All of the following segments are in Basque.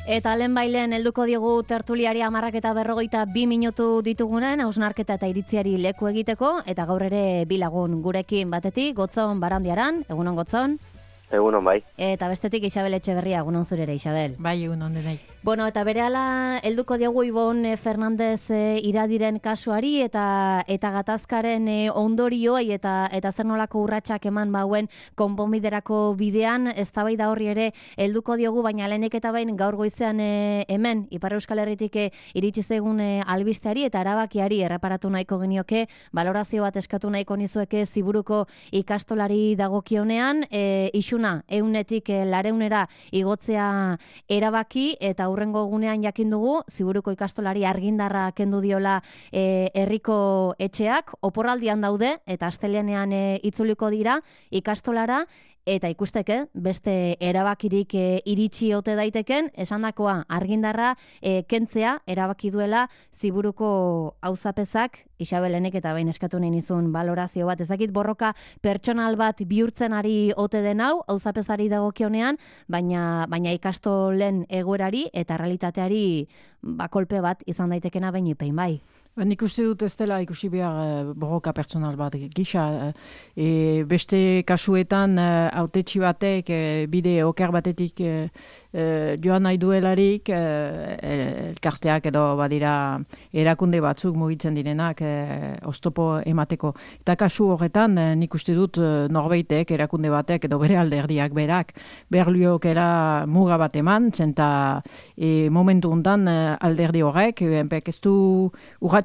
Eta lehenbailen helduko diogu tertuliari 10:42 minutu ditugunen hausnarketa eta iritziari leku egiteko, eta gaur ere bi lagun gurekin, batetik Gotzon Barandiaran, egunon Gotzon. Egunon bai. Eta bestetik Isabel Etxeberria, egunon zurere Isabel. Bai, egunon denai. Bueno, eta berehala helduko diogu Ibon Fernandez iradiren kasuari eta gatazkaren ondorioei eta zer nolako urratsak eman bauen konponbiderako bidean, eztabaida horri ere helduko diogu, baina lehenik eta behin gaur goizean hemen Ipar Euskal Herritik iritsi zaigun albisteari eta erabakiari erreparatu nahiko genioke, balorazio bat eskatu nahiko nizueke Ziburuko ikastolari dagokionean, isuna 100etik 200era igotzea erabaki, eta hurrengo egunean jakin dugu Ziburuko ikastolari argindarra kendu diola herriko etxeak, oporraldian daude eta astelehenean itzuliko dira ikastolara. Eta ikusteke, beste erabakirik iritsi ote daiteken, esandakoa argindarra kentzea erabaki duela Ziburuko auzapezak. Isabelenek eta behin eskatu nahi nizun balorazio bat, ezakit borroka pertsonal bat bihurtzen ari ote den hau, auzapezari dagokionean, baina ikastolen egoerari eta realitateari kolpe bat izan daitekena behin ipein bai. Nik uste dut ez dela ikusi behar borroka pertsonal bat gisa. Beste kasuetan hautetsi batek bide oker batetik joan nahi duelarik elkarteak edo badira erakunde batzuk mugitzen direnak oztopo emateko. Eta kasu horretan nik uste dut norbaitek erakunde batek edo bere alderdiak berak berliokera muga bat eman, zenta momentu untan alderdi horrek ez du urratxik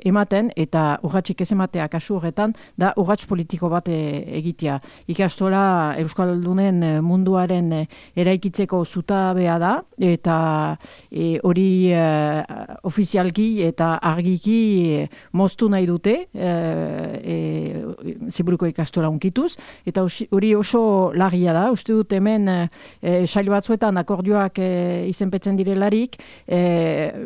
ematen, eta urratxik ez ematea kasu horretan da urratx politiko bat egitea. Ikastola Euskaldunen munduaren eraikitzeko zutabea da, eta hori ofizialki eta argiki moztu nahi dute Ziburuko ikastola unkituz, eta hori oso larria da. Uste dut hemen sail batzuetan akordioak izenpetzen direlarik,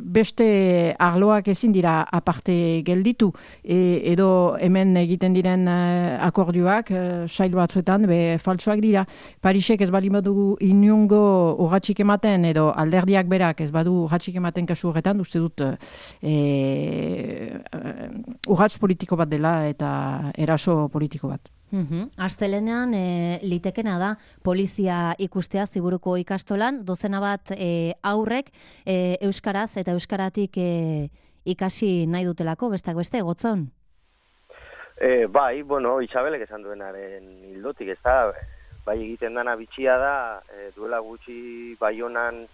beste arloak ezin dira aparte gelditu, edo hemen egiten diren akordioak sail batzuetan falsoak dira. Parisek ez bali badugu inungo urratxik ematen, edo alderdiak berak ez badu urratxik ematen kasu horretan, uste dut urratx politiko bat dela eta eraso politiko bat. Astelehenean litekena da polizia ikustea Ziburuko ikastolan, dozena bat aurrek euskaraz eta euskaratik ikasi nahi dutelako, besteak beste, Gotzon? Bai, Isabelek esan duenaren hildotik, ez da, bai egiten dana bitxia da, duela gutxi Baionan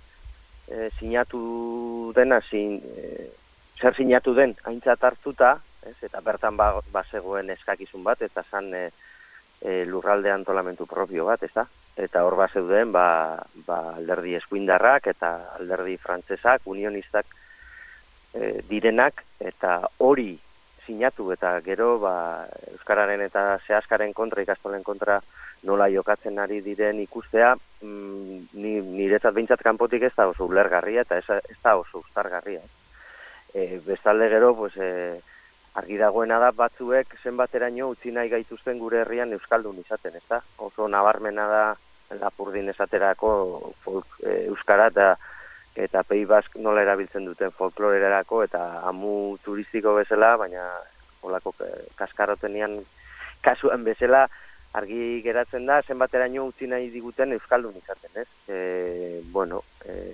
sinatu dena, zer sinatu den aintzat hartuta, eta bertan bazegoen eskakizun bat, eta zan lurralde antolamentu propio bat, ez da? Eta hor bazeuden alderdi eskuindarrak eta alderdi frantsesak, unionistak direnak, eta hori sinatu eta gero euskararen eta sehaskaren kontra, ikastolen kontra nola jokatzen ari diren ikustea, niretzat behintzat kanpotik ez da oso ulergarria eta ez da oso uztargarria. Bestalde gero, argi dagoena da batzuek zenbateraino utzi nahi gaituzten gure herrian euskaldun izaten, ez da? Oso nabarmena da Lapurdin esaterako euskara eta Pei Bask nola erabiltzen duten folklorerako eta amu turistiko bezala, baina holako kaskarotenian kasuan bezala argi geratzen da zenbateraino utzi nahi diguten euskaldun izaten, ez?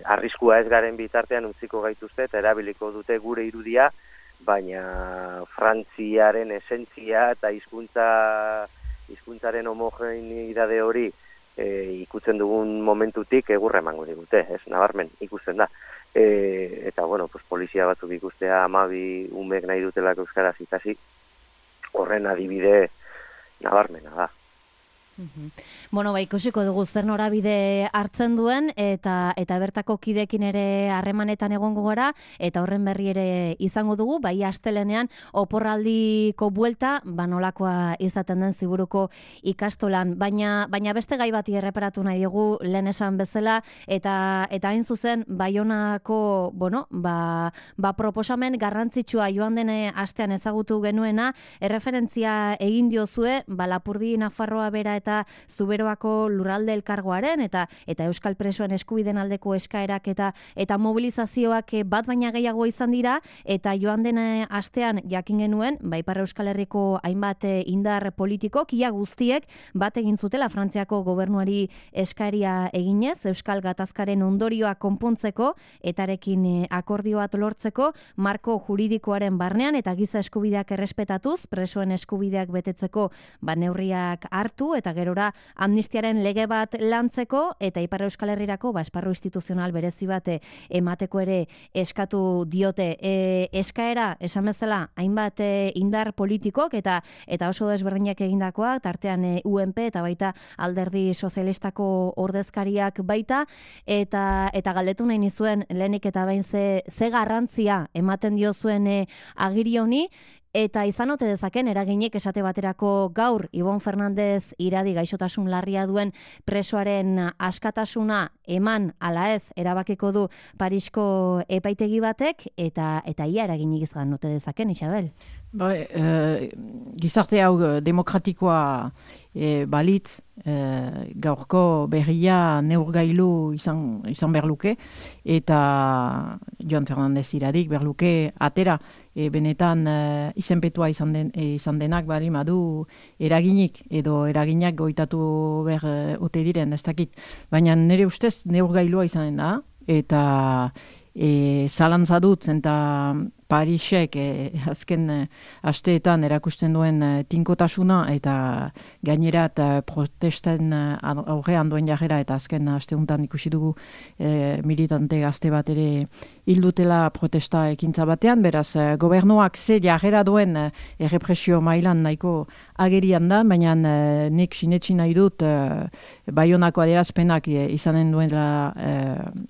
Arriskua ez garen bitartean utziko gaituzte eta erabiliko dute gure irudia, baina Frantziaren esentzia eta hizkuntzaren homogeneidade hori ikutzen dugun momentutik egurra emango digute, ez, nabarmen ikusten da. Eta, polizia batzuk ikustea 12 umek nahi dutelak euskaraz ikasi, horren adibide nabarmena da. Ikusiko dugu zer norabide hartzen duen eta bertako kidekin ere harremanetan egongo gara, eta horren berri ere izango dugu, bai astelehenean oporraldiko buelta nolakoa izaten den Ziburuko ikastolan, baina beste gai bati erreparatu nahi dugu lehen esan bezala, eta hain zuzen Baionako proposamen garrantzitsua joan den astean ezagutu genuena, erreferentzia egin diozue Lapurdi Nafarroa bera eta Zuberoako lurralde elkargoaren eta euskal presoen eskubideen aldeko eskaerak eta mobilizazioak bat baina gehiago izan dira, eta joan den astean jakin genuen, Ipar Euskal Herriko hainbat indar politikok, ia guztiek bat egin zutela Frantziako gobernuari eskaria eginez, Euskal Gatazkaren ondorioa konpontzeko, etarekin akordio bat lortzeko, marko juridikoaren barnean eta giza eskubideak errespetatuz, presoen eskubideak betetzeko neurriak hartu, eta gerora amnistiaren lege bat lantzeko, eta Ipar Euskal Herrirako esparru instituzional berezi bat emateko ere eskatu diote. Eskaera, esan bezala, hainbat indar politikok eta oso desberdinak egindakoak, tartean UNP eta baita Alderdi Sozialistako ordezkariak baita, eta galdetu nahi nizuen lehenik eta behin ze garrantzia ematen diozuen agiri honi, eta izan ote dezaken eraginik esate baterako gaur Ibon Fernandez Iradi gaixotasun larria duen presoaren askatasuna eman ala ez erabakiko du Parisko epaitegi batek, eta ia eraginik izan ote dezaken, Isabel? Gizarte hau demokratikoa balitz, gaurko berria neurgailu izan berluke, eta Joan Fernandez Iradik berluke atera, benetan izenpetua izan denak bali madu eraginik, edo eraginak goitatu behar ote diren, ez dakit. Baina nire ustez neurgailua izan da, eta zalantza dut, eta Parisek azken asteetan erakusten duen tinkotasuna, eta gainerat protesten aurrean duen jarrera, eta azken asteuntan ikusi dugu militante gazte bat ere hildutela protesta ekintza batean, beraz gobernuak ze jarrera duen errepresio mailan nahiko agerian da, baina nik sinetsi nahi dut Baionako adierazpenak izanen duela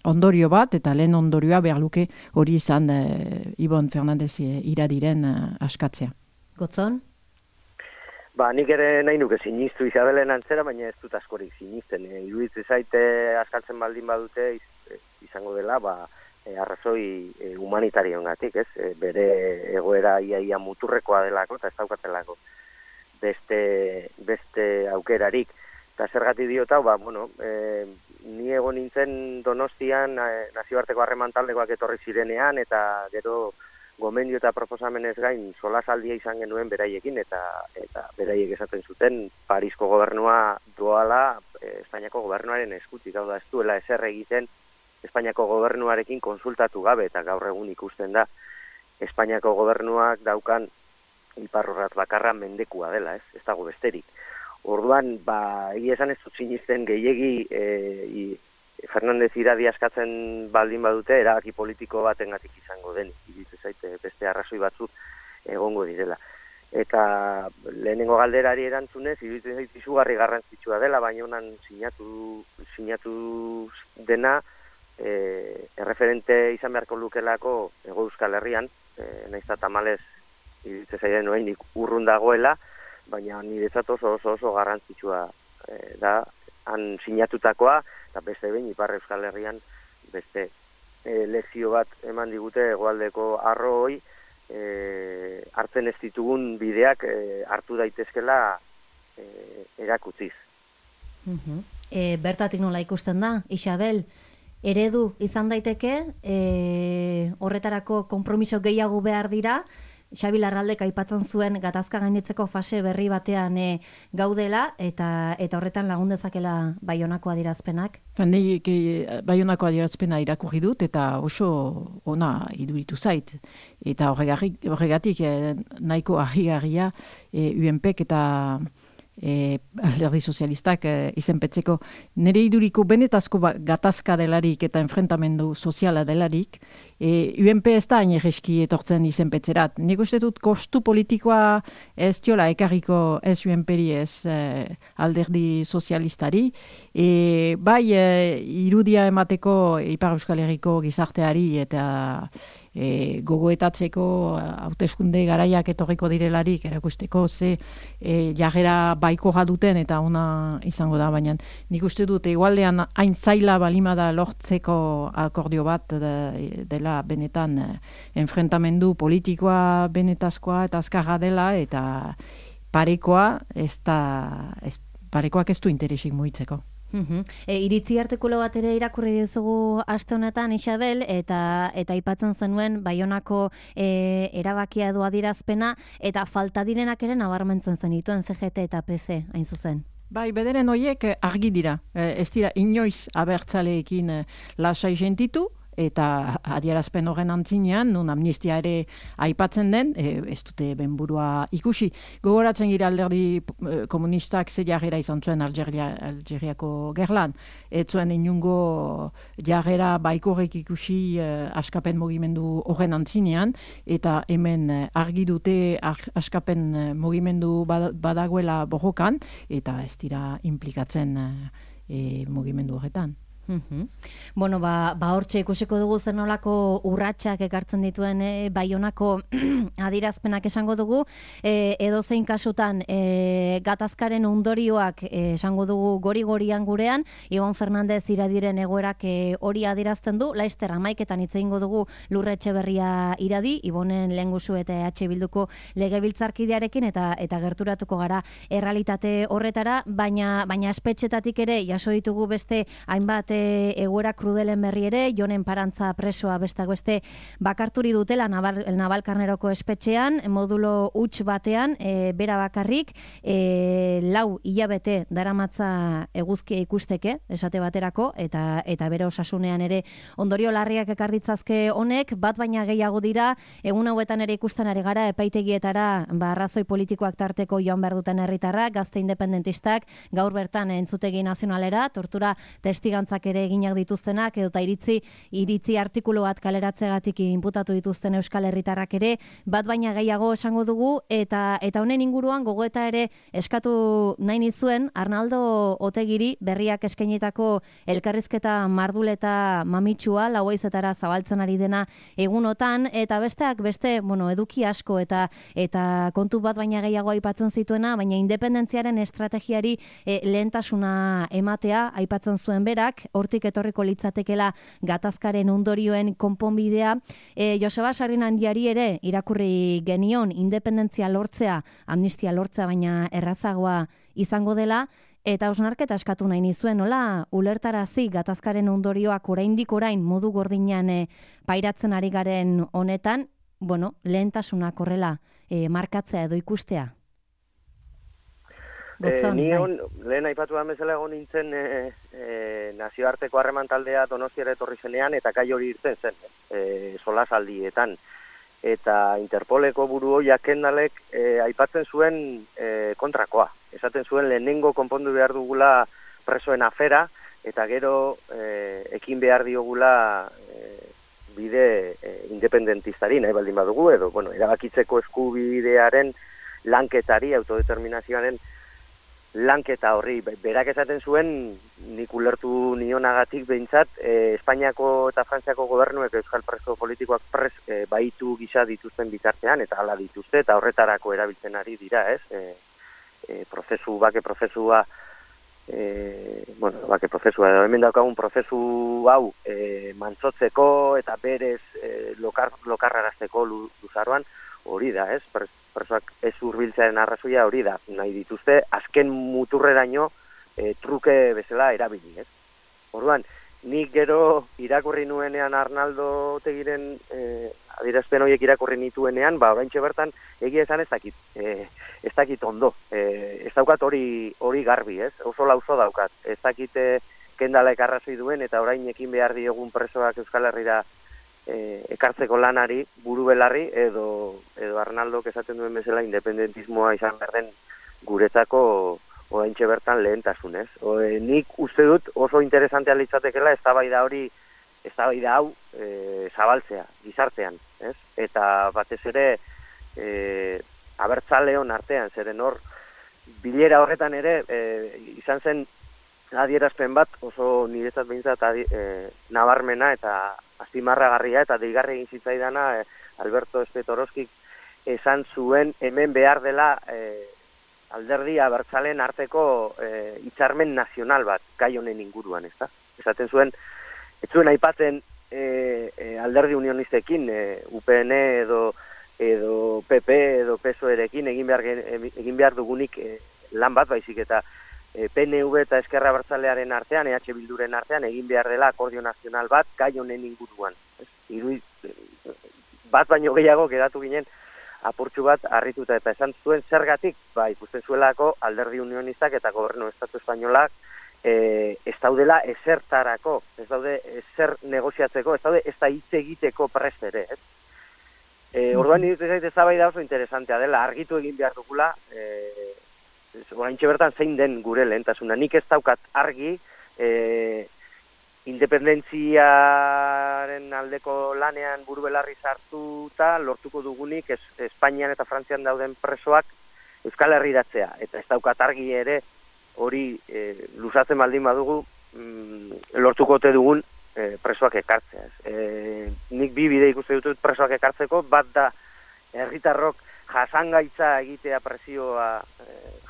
ondorio bat, eta lehen ondorioa behar luke hori izan Ibon Fernandez Iradiren askatzea. Gotzon? Nik ere nahi nuke sinistu Isabelen antzera, baina ez dut askorik sinisten. Iruditzen zaite askatzen baldin badute izango dela, arrazoi humanitarioengatik, ez? Bere egoera ia muturrekoa delako, eta ez daukatelako beste aukerarik. Eta zergatik diot hau, ni egon nintzen Donostian nazioarteko harreman taldekoak etorri zirenean, eta gero gomendio eta proposamenez gain solasaldia izan genuen beraiekin, eta beraiek esaten zuten Parisko gobernua doala Espainiako gobernuaren eskutik, hau da ez duela ezer egiten Espainiako gobernuarekin konsultatu gabe, eta gaur egun ikusten da Espainiako gobernuak daukan iparrorratz bakarra mendekua dela, ez dago besterik. Orduan, egia esan ez dut sinisten gehiegi Fernandez Iradi askatzen baldin badute, erabaki politiko batengatik izango den, iruditzen zaite beste arrazoi batzuk egongo direla. Eta lehenengo galderari erantzunez, iruditzen zaite izugarri garrantzitsua dela, baina honan sinatu dena erreferente izan beharko lukelako Hego Euskal Herrian, nahiz eta tamalez iruditzen zaite noenik urrun dagoela, baina niretzat oso garrantzitsua da han sinatutakoa, eta beste behin Ipar Euskal Herrian beste lezio bat eman digute hegoaldeko arroi, hartzen ez ditugun bideak hartu daitezkela erakutziz. Bertatik nola ikusten da, Isabel, eredu izan daiteke, horretarako konpromiso gehiago behar dira, Xabi Larraldek aipatzen zuen gatazka gainditzeko fase berri batean gaudela, eta horretan lagun dezakela Baionako adierazpenak? Nik Baionako adierazpena irakurri dut, eta oso ona iduritu zait. Eta horregatik nahiko argi-argia UNPek eta Alderdi Sozialistak izenpetzeko. Nire iduriko benetazko gatazka delarik eta enfrentamendu soziala delarik, UNP ez da hain egeski etortzen izenpetzerat. Nik uste dut kostu politikoa ez diola ekarriko ez UNPeri ez Alderdi Sozialistari. Bai irudia emateko Ipar Euskal Herriko gizarteari eta gogoetatzeko hauteskunde garaiak etorriko direlarik erakusteko ze jarrera baikoa duten eta ona izango da, baina nik uste dut igualdean hain zaila balimada lortzeko akordio bat dela benetan enfrentamendu politikoa benetazkoa eta azkarra dela, eta parekoa ez parekoak ez du interesik mugitzeko. Iritzi artikulu bat ere irakurri dizugu aste honetan, Isabel, eta aipatzen zenuen Baionako erabakia edo adierazpena, eta falta direnak ere nabarmentzen zenituen CGT eta PC, hain zuzen. Bai, bederen horiek argi dira. Ez dira inoiz abertzaleekin lasai sentitu, eta adierazpen horren antzinean, nun amnistia ere aipatzen den, ez dute benburua ikusi. Gogoratzen gira alderdi komunistak ze jarrera izan zuen Algeriako gerlan. Ez zuen inungo jarrera baikorrek ikusi askapen mugimendu horren antzinean, eta hemen argi dute askapen mugimendu badagoela borrokan, eta ez dira implikatzen mugimendu horretan. Bueno, hortxe ikusiko dugu zer nolako urratsak ekartzen dituen Baionako adirazpenak esango dugu, edozein kasutan gatazkaren ondorioak esango dugu gori-gorian gurean, Ibon Fernandez iradiren egoerak hori adirazten du, laizter 11etan hitz egingo dugu Lurra Etxeberria iradi, Ibonen lehengusu eta EH Bilduko legebiltzarkidearekin eta gerturatuko gara errealitate horretara, baina espetxetatik ere jaso ditugu beste hainbat egoera krudelen berri ere, Jonen Parantza presoa besteak beste bakarturi dutela Navalkarneroko espetxean, modulo huts batean, bera bakarrik, 4 hilabete daramatza eguzkia ikusteke, esate baterako, eta bere osasunean ere ondorio larriak ekar ditzazke honek, bat baina gehiago dira, egun hauetan ere ikusten ari gara, epaitegietara arrazoi politikoak tarteko joan behar duten herritarrak, gazte independentistak, gaur bertan entzutegi nazionalera, tortura testigantzak ere eginak dituztenak, edota iritzi artikulu bat kaleratzegatik inputatu dituzten euskal herritarrak ere, bat baina gehiago esango dugu, eta honen inguruan gogoeta ere eskatu nahi nizuen Arnaldo Otegiri berriak eskainitako elkarrizketa marduleta mamitsua, 4:00 zabaltzen ari dena egunotan, eta besteak beste, eduki asko eta kontu bat baina gehiago aipatzen zituena, baina independentziaren estrategiari lehentasuna ematea aipatzen zuen berak, hortik etorriko litzatekela gatazkaren ondorioen konponbidea. Joseba Sarrinandiari ere irakurri genion independentzia lortzea, amnistia lortzea baina errazagoa izango dela, eta hausnarketa eskatu nahi nizuen, nola ulertarazi gatazkaren ondorioak oraindik orain modu gordinean pairatzen ari garen honetan, lehentasunak horrela markatzea edo ikustea. Lehen aipatu da bezala egon nintzen nazioarteko harreman taldea Donostiara etorri zenean eta kai hori irten zen, solasaldietan. Eta Interpoleko buru hoiak Kendalek aipatzen zuen kontrakoa. Esaten zuen lehenengo konpondu behar dugula presoen afera, eta gero ekin behar diogula bide independentistari, nahi baldin badugu, edo erabakitzeko eskubidearen lanketari, autodeterminazioaren lanketa horri. Berak esaten zuen, nik ulertu nionagatik behintzat, Espainiako eta Frantziako gobernuek euskal preso politikoak baitu gisa dituzten bitartean, eta hala dituzte, eta horretarako erabiltzen ari dira, ez? Bake prozesua, hemen daukagun prozesu hau mantzotzeko eta berez lokarrarazteko luzaroan, hori da, ez? Presoak ez hurbiltzearen arrazoia hori da, nahi dituzte, azken muturreraino truke bezala erabili, ez? Orduan, nik gero irakurri nuenean Arnaldo Otegiren adierazpen horiek irakurri nituenean, oraintxe bertan egia esan ez dakit ondo, ez daukat hori garbi, ez? Oso lauzo daukat, ez dakit Kendalek arrazoi duen eta orain ekin behar diogun presoak Euskal Herrira ekartzeko lanari buru belarri edo Arnaldok esaten duen bezala independentismoa izan behar den guretzako oraintxe bertan lehentasunez. Nik uste dut oso interesantea litzatekela eztabaida hau zabaltzea gizartean, ez? Eta batez ere abertzaleon artean, zeren hor bilera horretan ere izan zen adierazpen bat oso niretzat behintzat nabarmena eta azpimarragarria eta deigarri egin zitzaidana Alberto Espetoroskik esan zuen hemen behar dela alderdi abertzaleen arteko hitzarmen nazional bat gai honen inguruan, ezta? Esaten zuen, ez zuen aipatzen alderdi unionistekin, UPN edo PP edo PSOErekin egin behar dugunik lan bat baizik eta PNV eta Eskerra Abertzalearen artean, EH Bilduren artean, egin behar dela akordio nazional bat gai honen inguruan. Bat baino gehiago geratu ginen apurtxu bat harrituta eta esan zuen zergatik, ikusten zuelako alderdi unionistak eta gobernu estatu espainolak ez daudela ezertarako, ez daude ezer negoziatzeko, ez daude ez da hitz egiteko prest ere, ez? Orduan iruditzen zait eztabaida oso interesantea dela, argitu egin behar dugula, oraintxe bertan zein den gure lehentasuna. Nik ez daukat argi, independentziaren aldeko lanean burubelarri sartuta lortuko dugunik Espainian eta Frantzian dauden presoak Euskal Herriratzea. Eta ez daukat argi ere hori luzatzen baldin badugu lortuko ote dugun presoak ekartzea. Nik bi bide ikuste ditut presoak ekartzeko, bat da herritarrok jasangaitza egitea presioa,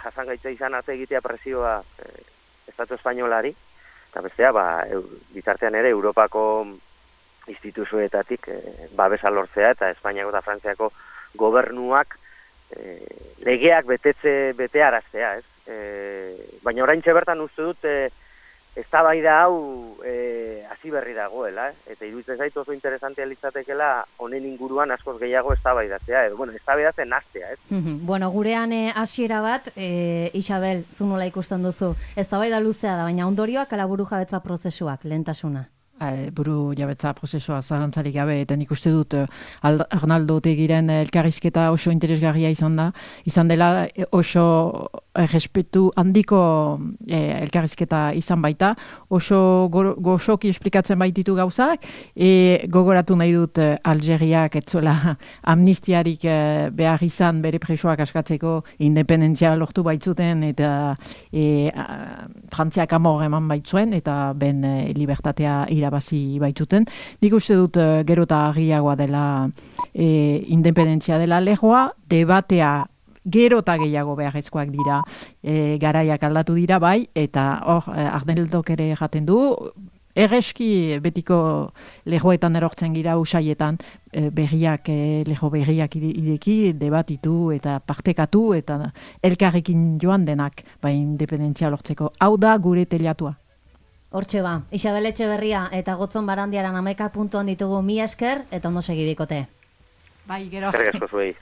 jasangaitza izan arte egitea presioa Estatu Espainolari, eta bestea, bitartean ere Europako instituzioetatik babesa lortzea eta Espainiako eta Frantziako gobernuak legeak betearaztea, ez? Baina oraintxe bertan uste dut eztabaida hau hasi berri dagoela, eta iruditzen zait oso interesantea litzatekeela honen inguruan askoz gehiago eztabaidatzea, edo eztabaidatzen hastea, ez? Bueno, gurean hasiera bat, Isabel, zu nola ikusten duzu, eztabaida luzea da, baina ondorioak ala burujabetza prozesuak lehentasuna. Buru jabetza prozesua zalantzarik gabe, eta nik uste dut Arnaldo Otegiren elkarrizketa oso interesgarria izan dela oso respetu handiko elkarrizketa izan baita, oso gozoki esplikatzen baititu gauzak, gogoratu nahi dut Algeriak etzuela amnistiarik behar izan bere presoak askatzeko independentzia lortu baitzuten, eta Frantziak amor eman baitzuen, eta ben libertatea irabazi baitzuten. Nik uste dut gero eta argiagoa dela independentzia dela legoa, debatea gero eta gehiago beharrezkoak dira, garaiak aldatu dira bai, eta hor Arneldok ere jaten du, erreski betiko legoetan erortzen gira usaietan lego berriak ideki, debatitu eta partekatu eta elkarrekin joan denak independentzia lortzeko. Hau da gure telatua. Hortxe ba, Isabel Etxeberria eta Gotzon Barandiaran 11 puntuan ditugu, mila esker eta ondo segi bikote. Bai, gero. Eskerrik asko zuei.